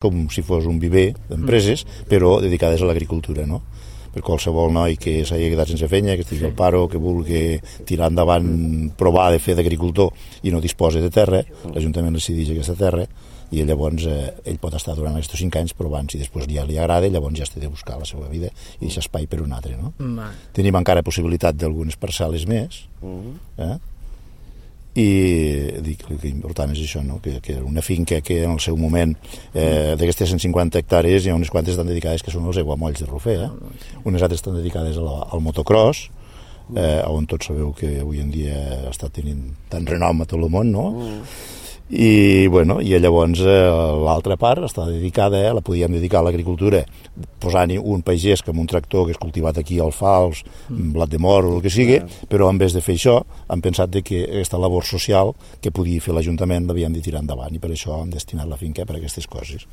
com si fos un viver d'empreses, però dedicades a l'agricultura, no? Per qualsevol noi que s'hagi quedat sense feina, que estigui al paro, que vulgui tirar endavant, provar de fer d'agricultor i no disposa de terra, l'Ajuntament decideix aquesta terra i llavors ell pot estar durant aquests 5 anys provant, si després ja li agrada, llavors ja té de buscar la seva vida i deixar espai per un altre, no? Tenim encara possibilitat d'algunes parcel·les més, i dic que important és això, no? Que una finca que en el seu moment d'aquestes 150 hectàrees hi ha unes quantes estan dedicades que són els aiguamolls de Rofer, unes altres estan dedicades al motocross, on tots sabeu que avui en dia està tenint tant renom a tot el món, no? I llavors l'altra part està dedicada, la podíem dedicar a l'agricultura posant-hi un pagès amb un tractor que és cultivat aquí al Fals, blat de moro, el que sigui, però en vez de fer això hem pensat que aquesta labor social que podia fer l'Ajuntament l'havíem de tirar endavant i per això hem destinat la finca per a aquestes coses.